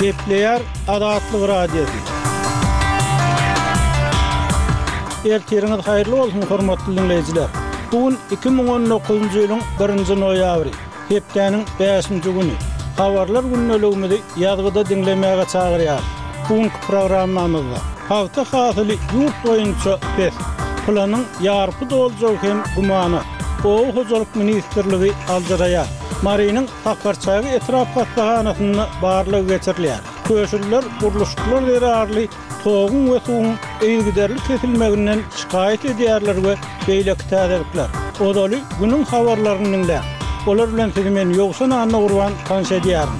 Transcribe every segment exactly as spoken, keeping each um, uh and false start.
Gepleýär Azatlyk Radiosy. Ertiriňiz haýyrly bolsun, hormatly diňleýjiler. Bu gün iki müň on dokuzynjy ýylyň birinji noýabry, hepdäniň bäşinji güni. Habarlar gündeligimizi ýazgyda diňlemäge çagyrýarys. Bu günki programmamyzda pagta hasyly ýurt boýunça pes, planyň ýarpy doljagy hem gümana, Oba hojalyk ministrligi aljyraýar. Marynyň Sakarçäge etrap hassahanasynda barlag geçirilýär. Köşüliler gurluşyklar zerarly toguň we suwuň yzygiderli kesilmeginden şikaýat edýärler we beýleki täzelikler. Ozaly günüň habarlaryny diňläň. Olar bilen sizi men Ýowşan Annagurban tanyş edýärin.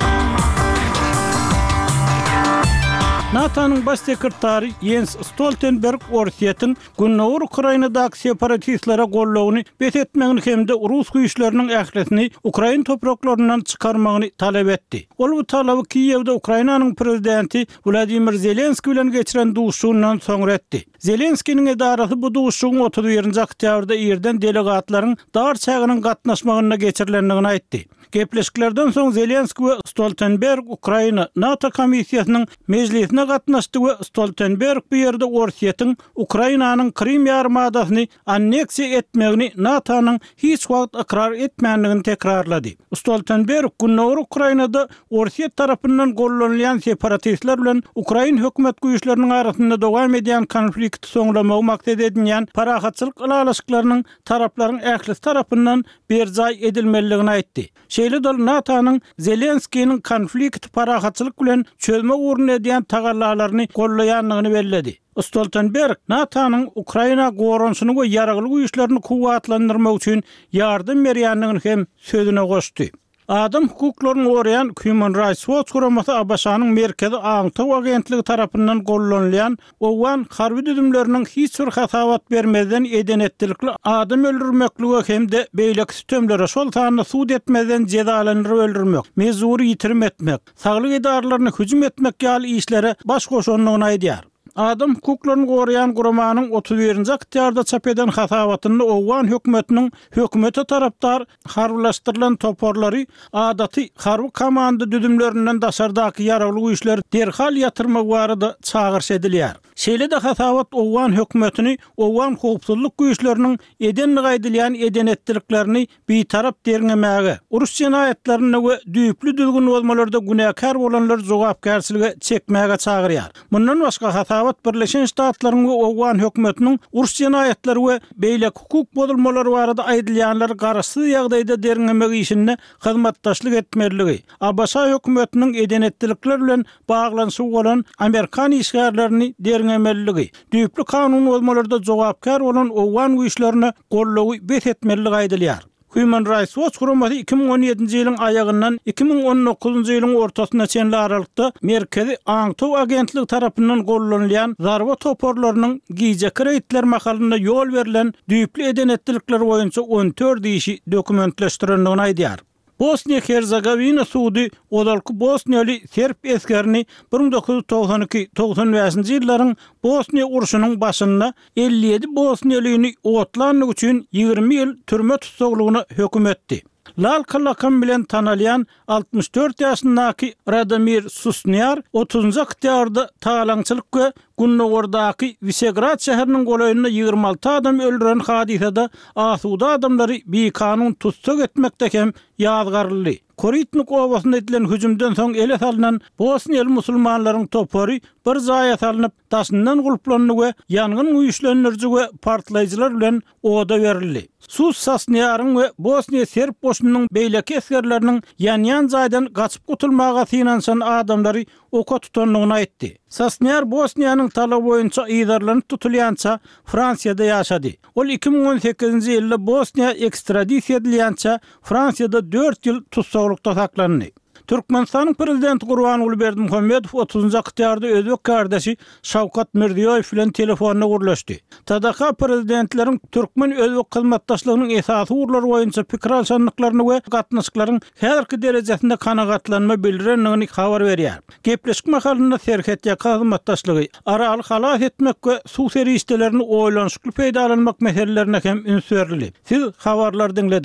NATO-nyň Baş sekretary Ýens Stoltenberg Orsýetiň Gündogar Ukrainadaky separatistlere goldawyny bes etmegini hem-de rus güýçleriniň ählisini ukrain topraklaryndan çykarmagyny talap etdi. Ol bu talaby Kiýewde Ukrainanyň prezidenti Wladimir Zelenskiý bilen geçiren duşuşygyndan soňra etdi. Zelenskiniň edarasy bu duşuşygyň otuz birinji oktýabrda irden delegatlaryň dar çäginiň gatnaşmagynda geçirilendigini aýtdy. Gepleşiklerden soň Zelenskiý we Stoltenberg Ukraina, NATO komissiýasynyň mejlisine gatnaşdy we Stoltenberg bu ýerde Orsýetiň Ukrainanyň Krym ýarymadasyny anneksiýa etmegini NATO-nyň hiç wagt ykrar etmändigini tekrarlady. Stoltenberg Gündogar Ukrainada Orsýet tarapyndan gollanylýan separatistler bilen ukrain hökümet güýçleriniň arasynda dowam edýän konflikti soňlamagy maksat edinýän parahatçylyk ylalaşyklarynyň taraplaryň ählisi tarapyndan berjaý edilmelidigini aýtdy. Şeýle-de ol NATO-nyň Zelenskiniň konflikti parahatçylyk bilen çözmek ugrunda edýän tagallalaryny gollaýandygyny belledi. Stoltenberg NATO-nyň Ukraina goranyşyny we ýaragly güýçlerini kuwwatlandyrmak üçin ýardam berýändigini hem sözüne goşdy. Adam hukuklaryny goraýan Human Rights Watch guramasy ABŞ-nyň Merkezi aňtaw agentligi tarapyndan gollanylýan owgan harby düzümleriniň hiç bir hasabat bermezden eden-etdilikli adam öldürmeklige hem-de beýleki sütemlere, şol sanda sud etmezden jezalandyryp öldürmek, mejbury ýitirim etmek, saglyk edaralaryna hüjüm etmek ýaly işlere baş goşandygyny aýdýar. Adam hukuklaryny goraýan guramanyň otuz birinji oktýabrda çap eden hasabatynda owgan hökümetiniň hökümete tarapdar harbylaşdyrylan toparlary adaty harby komanda düzümlerinden daşardaky ýaragly güýçleri derhal ýatyrmagy barada çagyryş edilýär. Şeýle-de hasabat owgan hökümetini owgan howpsuzlyk güýçleriniň edendigi aýdylýan eden-etdiliklerini bitarap derňemäge, uruş jenaýatlarynda we düýpli düzgün bozmalarda günäkär bolanlary jogapkärçilige çekmäge çagyrýar. Mundan başga, hasabat Birleşen Ştatlaryň we owgan hökümetiniň uruş jenaýatlary we beýleki hukuk bozulmalary barada aýdylýanlary garaşsyz ýagdaýda derňemek işinde hyzmatdaşlyk etmeliligi, ABŞ hökümetiniň eden-etdilikler bilen baglanyşygy bolan amerikan işgärlerini derňemeliligi, düýpli kanun bozmalarda jogapkär bolan owgan güýçlerine goldawy bes etmeliligi aýdylýar. Human Rights Watch guramasy iki müň on ýedinji ýylyň aýagyndan iki müň on dokuzynjy ýylyň ortasyna çenli aralykda Merkezi aňtaw agentligi tarapyndan gollanylýan zarba toparlarynyň gijeki reýdler mahalynda ýol berlen düýpli eden-etdilikler boýunça on dört işi dokumentleşdirendigini aýdýar. Bosniýa-Herzegowina sudy ozalky bosniýaly serb esgerini bir müň dokuz ýüz togsan iki, togsan bäşinji ýyllaryň Bosniýa urşunyň başynda elli ýedi bosniýalyny otlandygy üçin ýigrimi ýyl türme tussaglygyna höküm etdi. Lalka lakamy bilen tanalýan altmyş dört ýaşyndaky Radomir Susnýar otuzynjy oktýabrda talaňçylyk we gündogardaky Wisegrad şäheriniň golaýynda ýigrimi alty adam öldüren hadysada asuda adamlary bikanun tussag etmekde hem ýazgaryldy. Koritnik obasynda edilen hüjümden soň ele salnan bosniýaly musulmanlaryň topary bir jaýa salnyp, daşyndan gulplandy we ýangyn güýçlendiriji we partlaýjylar bilen oda berildi. Sus Sasnýaryň we Bosniýa serb goşunynyň beýleki esgerleriniň ýanýan jaýdan gaçyp gutulmaga synanyşan adamlary oka tutandygyny aýtdy. Sasnýar Bosniýanyň talaby boýunça yzarlanyp tutulýança Fransiýada ýaşady. Ol iki müň on sekizinji ýylda Bosniýa ekstradisiýa edilýänçä Fransiýada dört ýyl tussaglykda saklandy. Türkmenistanyň Prezidenti Gurbanguly Berdimuhamedow otuzynjy oktýabrda özbek kärdeşi Şawkat Mirziýoýew bilen telefonda gürleşdi. T D K prezidentleriň türkmen-özbek hyzmatdaşlygynyň esasy ugurlary boýunça pikir alşandyklaryny we gatnaşyklaryň häzirki derejesinde kanagatlanma bildirendigini habar berýär. Gepleşik mahalynda serhetýaka hyzmatdaşlygy, Araly halas etmek we suw serişdelerini oýlanyşykly peýdalanmak meselelerine hem üns berildi. Siz habarlary diňlediňiz.